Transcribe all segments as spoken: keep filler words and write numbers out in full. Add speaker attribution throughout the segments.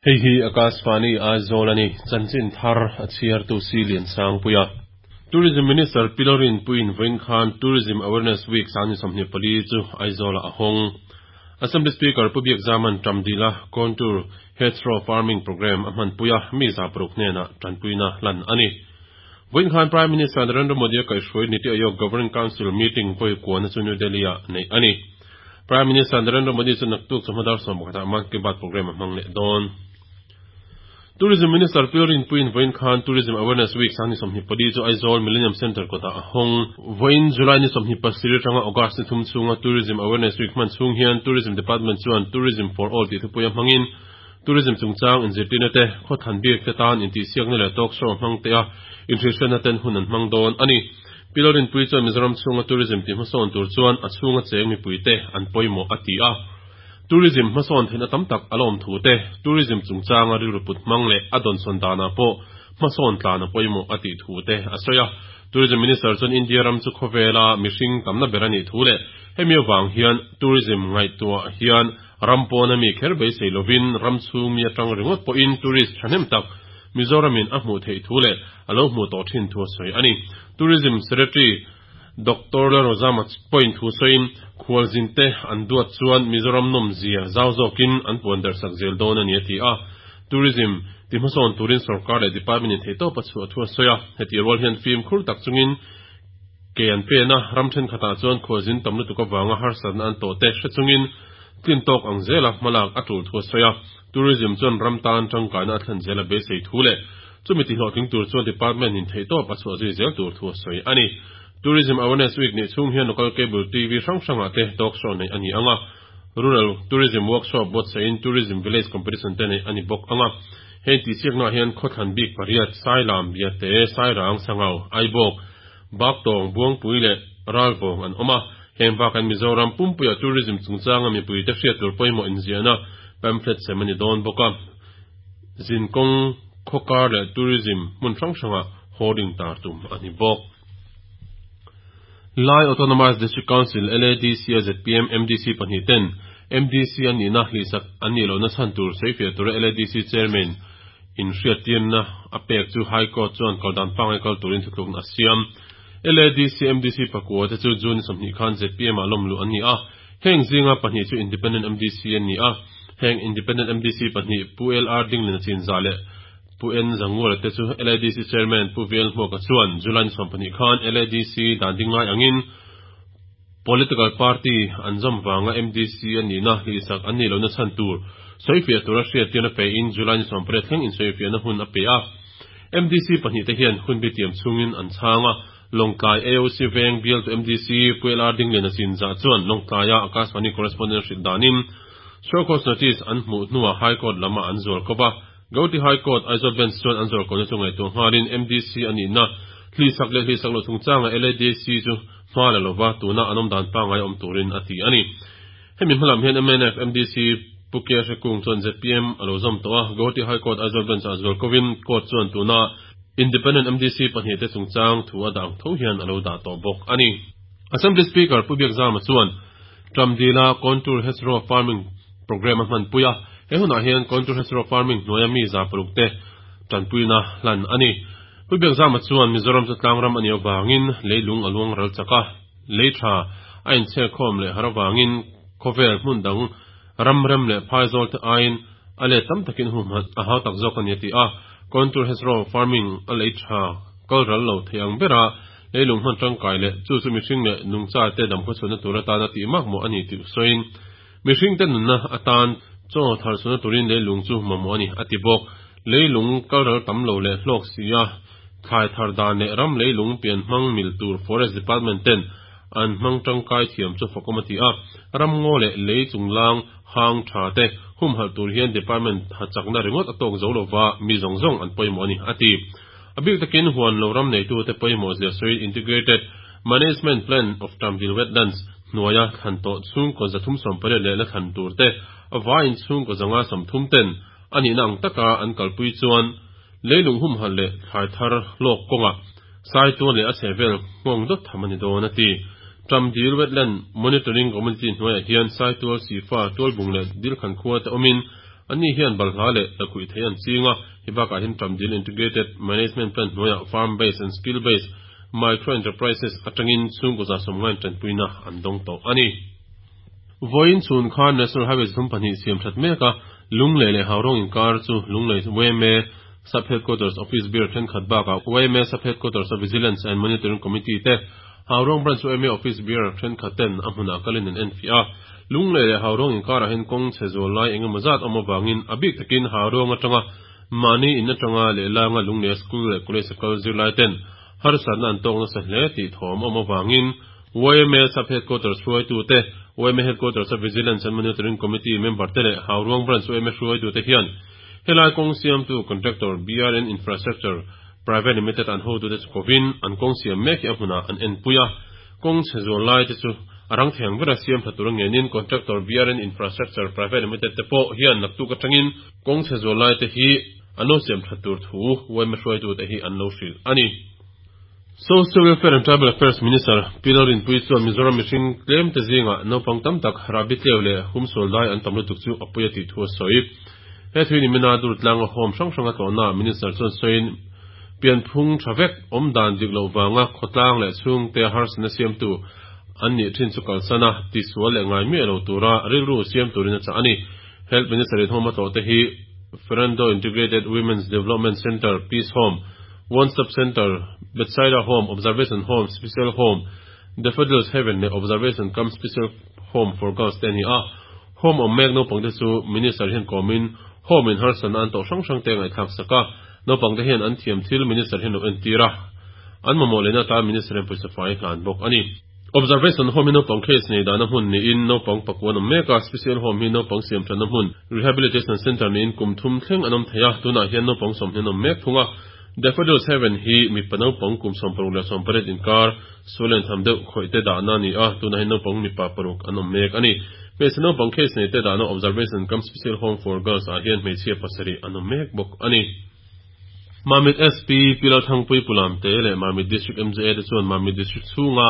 Speaker 1: Hei hi Akashvani Aizawl ani chanchin thar a chhiar tu si lian sang puia Tourism Minister Pilorin Puin Vain Khan Tourism Awareness Week sani somni pali chu Aizawl a hong Assembly Speaker Pu Biakzaman Tamdila Contour Hedgerow Farming Program a hman puia mi za paruk hnena tanpuina hlan ani Vain Khan Prime Minister Narendra Modi a kaihhruai Niti Aayog Governing Council meeting vawi kuana chu New Delhi ah nei ani Prime Minister Narendra Modi chu naktuk chawhma sawm pakhatah Mann Ki Baat program a hmang leh dawn Tourism Minister Pilorin Puin Vain Khan Tourism Awareness Week sani somni pali chu Aizawl Millennium Center kota a hong Vain July ni somni pasiri tanga August ni thum chunga Tourism Awareness Week man chung hian Tourism Department chuan Tourism for All ti thupuia hmangin Tourism chungchang inzirtirna te khawthan bik te tan intihsiakna leh talk show hmang te a inhrilhriatna ten hun an hmang dawn ani Pilorin Pui chuan Mizoram chhunga tourism ti hmasawn tur chuan a chhunga cheng mipui te an pawimawh a ti a Tourism hmasawn theihna tam tak a lawm thu te tourism chungchanga rilru put hmang leh a dawnsawn danah pawh hmasawn tlan a pawimawh a tih thu te a sawi a Tourism Minister chuan India ram chu khawvela mihring tamna ber ani thu leh hemi awang hian tourism ngaihtuah hian ram pawna mi kher beisei lovin ram chhung mi atang ringawt pawhin tourist thahnem tak Mizoramin a hmuh theih thu leh a lo hmuh tawh thin thu a sawi ani Tourism Secretary Doctor Lalrozama point thu sawiin khualzin te an duat chuan Mizoram nawm zia zau zawkin an puan darhsak zel dawn ani a ti a Tourism ti hmasawn turin sarkar leh department in theihtawp a chhuah thu a sawi a heti rual hian fim khur tak chungin ke an pena ram thenkhatah chuan khualzin tam lutuk awanga harsatna an tawh te hre chungin tlin tawk ang zela hmalak a tul thu a sawi a Tourism chuan ram tan tangkaina a thlen zela beisei thu leh chumi ti hlawhtling tur chuan department in theihtawp a chhuah zui zel tur thu a sawi ani Tourism Awareness Week ni chung hian local cable T V hrang hrangah te talk show nei ani anga Rural Tourism Workshop buatsahin Tourism Village Competition te nei ani bawk anga heng tihsiakna hian khawthlan bik pariat Sailam Biate Sairang Sangau Aibawk Baktawng Buangpui leh Ralvawng an awm a heng bakan Mizoram Pumpuia Tourism chungchanga mipui te hriat tur pawimawh inziahna pamphlet sem ani dawn bawk a zinkawng khawkar leh tourism hmun hrang hrangah hoarding tar tum ani bawk Lai Autonomous District Council L A D C a Z P M M D C pahnih ten M D C ani na hlisak ani lo na chan tur seifiah tura L A D C chairman in hriattirna a pek chu High Court chuan kaldan pangai kal turin thutlukna a siam L A D C M D C pakua te chu June sawmhnih khan Z P M ah lawm lu an ni a heng zinga pahnih chu Independent M D C an ni a heng Independent M D C pahnih Pu L R Dinglin a chin za leh Pu N Zangura te chu L A D C chairman Pu V L Hmuaka chuan July ni sawm pahnih khan L A D C dan dingai angin political party an zawm wanga M D C ani na hlisak an ni lo na chan tur soifiah tura hriattirna pe in July ni sawm pariat thleng in soifiahna hun a pe a M D C pahnih te hian hun bi tiam chungin an chhanga Longtlai A O C veng bial to M D C Pu L R Dinglin a chin za chuan Longtlaia Akashvani correspondent hrilh danin show cause notice an hmuh hnuah High Court lama an zual kawpa Gauhati High Court Aizawl Bench chuan an zual kawna chu ngaihtuah nghalin M D C ani na hlisak leh hlisak lo chungchanga L A D C chu hma la lova tuna an awm dan pangai awm turin a ti ani hemi hmalam hian M N F M D C Pu K Hrekung chuan Z P M a lo zawm tawh a Gauhati High Court Aizawl Bench a zual kawin court chuan tuna Independent M D C pahnih te chungchang thu a dang tho hian a lo dah tawh bawk ani Assembly Speaker Pu Biakzama chuan Tramdila Contour Hedgerow Farming Program a hman puia he hunah hian Contour Hedgerow Farming hnuaia mi za paruk te tanpuina hlan ani Pu Biakzama chuan Mizoram chu tlangram ani awangin leilung a luang ral chaka leitha a inchhek khawm leh harawangin khawvel hmun dang ram rem leh phaizawl te aiin a let tam takin hum a hau tak zawk ani a ti a Contour Hedgerow Farming a leitha kal ral lo thei ang bera leilung hman tangkai leh chu chu mihring leh nungcha te dam khawchhuahna tur atana tih mak mawh ani tih sawiin mihring te nunna atan chaw thar chhuahna turin leilung chu mamawh ani a ti bawk leilung kal ral tam lo leh hlawk si a thlai thar dan leh ram leilung pian hmang mil tur Forest Department ten an hmang tangkai thiam chu fakawm a ti a ram ngaw leh lei chunglang hang tha te hum hal tur hian department ha chakna ringawt a tawk zo lova mi zawng zawng an pawimawh ani a ti a bik takin huan lo ram nei tu te pawimawh zia sawiin Integrated Management Plan of Tamdil Wetlands hnuaia thlan tawh chhungkaw zathum sawm pariat leh la thlan tur te a vaiin chhungkaw zanga sawmthum ten ani na ang taka an kalpui chuan leilung hum hal leh thlai thar hlawk kawnga sai tuan leh a chhehvel nghawng dawt tham ani dawn a ti Tamdil Wetland Monitoring Community hnuaiah hian sai tual sifa tual bung leh dil khan khua te awmin Anni hian balhla leh lakhuih thei an ching a, hei bakah hian Ṭamdil Integrated Management Plan hnuaiah Farm Based and Skill Based Micro Enterprises atangin chhungkaw za sawmngain tanpuina an dawng tawh a ni. Vawiin chhun khan National Highway thum pahnih siam that mek a, Lunglei leh Haurawng inkar chu Lunglei Y M A Sub Headquarters Office Bearer thenkhat bakah Y M A Sub Headquarters a Vigilance and Monitoring Committee te, Haurawng Branch Y M A Office Bearer thenkhat ten a hmunah kalin an enfiah a. Lunglei leh Haurawng inkarah hian kawng chhe zual lai engemaw zat awm avangin a bik takin Haurawng atanga mahni in atanga lehlanga Lunglei School leh College a kal zirlai ten harsatna an tawk nasa hle tih thawm awm avangin Y M A Sub Headquarters hruaitute, Y M A Headquarters a Vigilance and Monitoring Committee member te leh Hauruang Branch Y M A hruaitute hian helai kawng siamtu contractor B R N Infrastructure Private Limited an hotute chu kovin an kawng siam mek hi a hmunah an enpui a, kawng chhe zual lai te chu a rang thei ang bera siam tha tur ngenin contractor B R N Infrastructure Private Limited te pawh hian naktuk atangin kawng chhe zual lai te hi an lo siam tha tur thu Y M A hruaitute hi an lo hrilh a ni. Social Welfare and Tribal Affairs Minister Pi Lalrinpuii chuan Mizoram mihring tlem te zingah naupang tam tak rahbi tleu leh humsual dai an tam lutuk chu a pawi a tih thu a sawi. He thui ni mina Durtlanga home hrang hrang a tlawhna Minister chuan sawiin pianphung tha vek awm dan dik loh vanga khawtlang leh chhungte harsatna siamtu an nih thin chu kalsana tisual leh ngai miah lo tura rilru siam turin a chah a ni. Health Minister in home a tlawh te hi Ferendo Integrated Women's Development Center, Peace Home, One Stop Center, Bethsaida Home, Observation Home, Special Home, Daffodils Heaven leh Observation cum Special Home for Girls te a ni a. Home awm mek naupang te chu Minister hian kawmin home in harsatna an tawh hrang hrang te ngaihthlak sak a, naupang te hian an thiam thil Minister hian lo entir a, an mamawh lehna atan Minister hian pawisa fai hlan bawk a ni. Observation Home hi naupang case nei dahna hmun niin naupang pakua an awm mek a, Special Home hi naupang siam thatna hmun, Rehabilitation Center niin kum thum thleng an awm thei a, tunah hian naupang sawmhnih an awm mek thung a. Daffodils Heaven hi mipa naupang kum sawm paruk leh sawm pariat inkar sual tham deuh khawih te dahna a ni a, tunah hian naupang mipa paruk an awm mek a ni. Hmeichhe naupang case nei te dahna Observation cum Special Home for Girls ah hian hmeichhia pasarih an awm mek bawk a ni. Mamit S P Pi Lalthangpui Pulamte leh Mamit District M J A te chuan Mamit District chhunga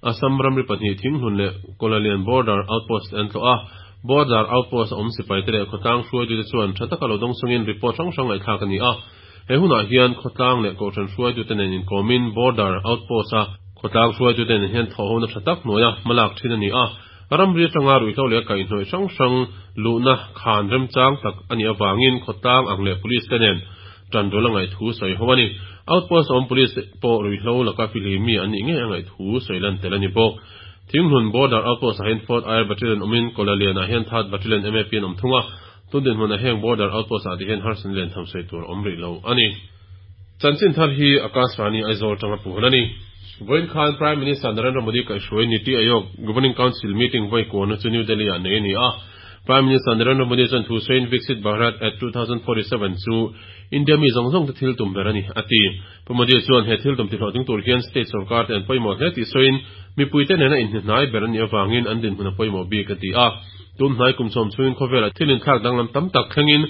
Speaker 1: Assam ramri pahnih Thinghlun leh Kolalian Border Outpost an tlawh a, Border Outpost a awm sipai te leh khawtlang hruaitute chuan tha taka lo dawng sawngin report hrang hrang ngaihthlak a ni a. He hunah hian khawtlang leh kohhran hruaitute nen inkawmin Border Outpost a khawtlang hruaitute nen hian thawhhona tha tak hnuaia hmalak thin a ni a, ramri atanga ruihhlo leh kaihhnawih hrang hrang luhna khan remchang tak a nih avangin khawtlang ang leh police te nen tanrual a ngaih thu sawi ho a ni. Outpost awm police pawh ruihhlo laka fihlimi an nih ngei a ngaih thu sawi lan tel a ni bawk. Thinghlun Border Outpost ah hian Fourth Air Battalion awmin Kolalian ah hian Third Battalion M A P an awm thung a, tun dinhmun ah heng Border Outpost ah ti hian harsatna lian tham sawi tur awm rih lo a ni. Chanchin thar hi Akashvani Aizawl tanga puan a ni. Vawiin khan Prime Minister Narendra Modi kaihhruai Niti Aayog Governing Council meeting vawi kuana chu New Delhi ah nei a ni a. Prime Minister Narendra Modi chuan thu sawiin Viksit Bharat at twenty forty-seven chu India mi zawng zawng te thil tum ber a ni a ti. Pu Modi chuan he thil tum ti hlawhtling tur hian state sarkar te an pawimawh hle tih sawiin mipui te nena inhnihnai ber an nih avangin an dinhmun a pawimawh bik a ti a. Tun hnai kum sawm chhungin khawvel thil inthlak danglam tam tak thlengin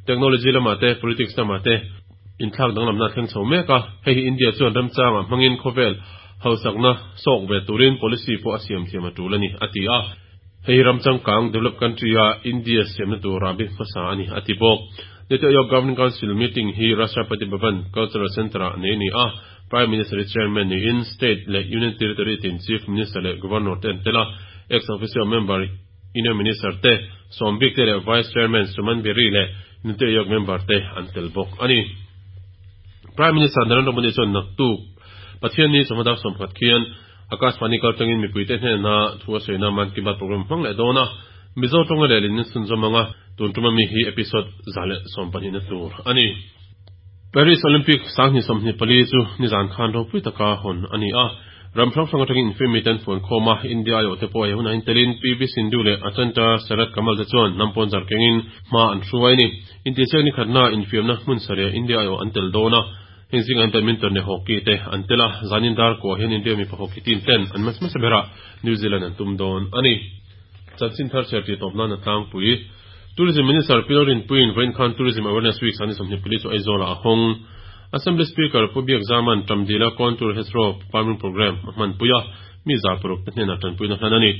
Speaker 1: technology lamah te, politics lamah te inthlak danglamna thleng chho mek a, hei hi India chuan remchanga hmangin khawvel hausakna sawk ve turin policy pawh a siam thiam a tul a ni a ti a. Hei ramchangkang develop country a India siamna tur rabi hmasa a ni a ti bawk. Niti Aayog Governing Council meeting hi Rashtrapati Bhavan Cultural Center ah nei ni a, Prime Minister chairman niin state leh Union Territory tin Chief Minister leh Governor te an tel a, ex officio member Union Minister te sawm bik te leh Vice Chairman Suman Beri leh Niti Aayog member te an tel bawk a ni. Prime Minister Narendra Modi chuan naktuk Pathian ni chawhma dar sawmkhat khian Akashvani kaltangin mipuite hnena thu a sawiina Mann Ki Baat program hmang leh dawn a, Mizo tawnga lehlin in chhunzawm anga, tun tuma mi hi episode za leh sawm pahnih na tur a ni. Paris Olympic sanghnih sawmhnih pali chu nizan khan ropui taka hawn a ni a, ram hrang hrang atangin infiammi ten fuan khawm a, India aiawh te pawh he hunah hian telin P V Sindhu leh Achanta Sharath Kamal te chuan hnam pawn zar kengin hma an hruai a ni. Intihsiak ni khatna infiamna hmun sarih India aiawh an tel dawn a, heng zinga an badminton leh hockey te an tel a, zanin dar kuah hian India mipa hockey team ten an match hmasa berah New Zealand an tum dawn a ni. Chanchin thar chhiar tih tawp nan a tlangpui. Tourism Minister Pi Lalrinpuiin vawiin khan Tourism Awareness Week sanghnih sawmhnih pali chu Aizawl ah a hawng. Assembly Speaker Pu Biakzaman Ṭamdila Contour Hedgerow Farming Program a hmanpui a, mi za paruk te hnenah ṭanpuina hlan a ni.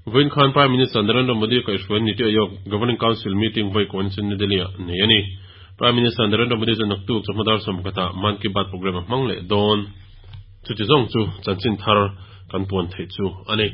Speaker 1: Vawiin khan Prime Minister Narendra Modi kaihhruai Niti Aayog Governing Council meeting vawi kawn chu New Delhi-ah nei a ni. Prime Minister Narendra Modi chuan naktuk chawhma dar sawm pakhatah Mann Ki Baat programme a hmang leh dawn. Chuti zawng chu chanchin thar kan puan theih chu a ni.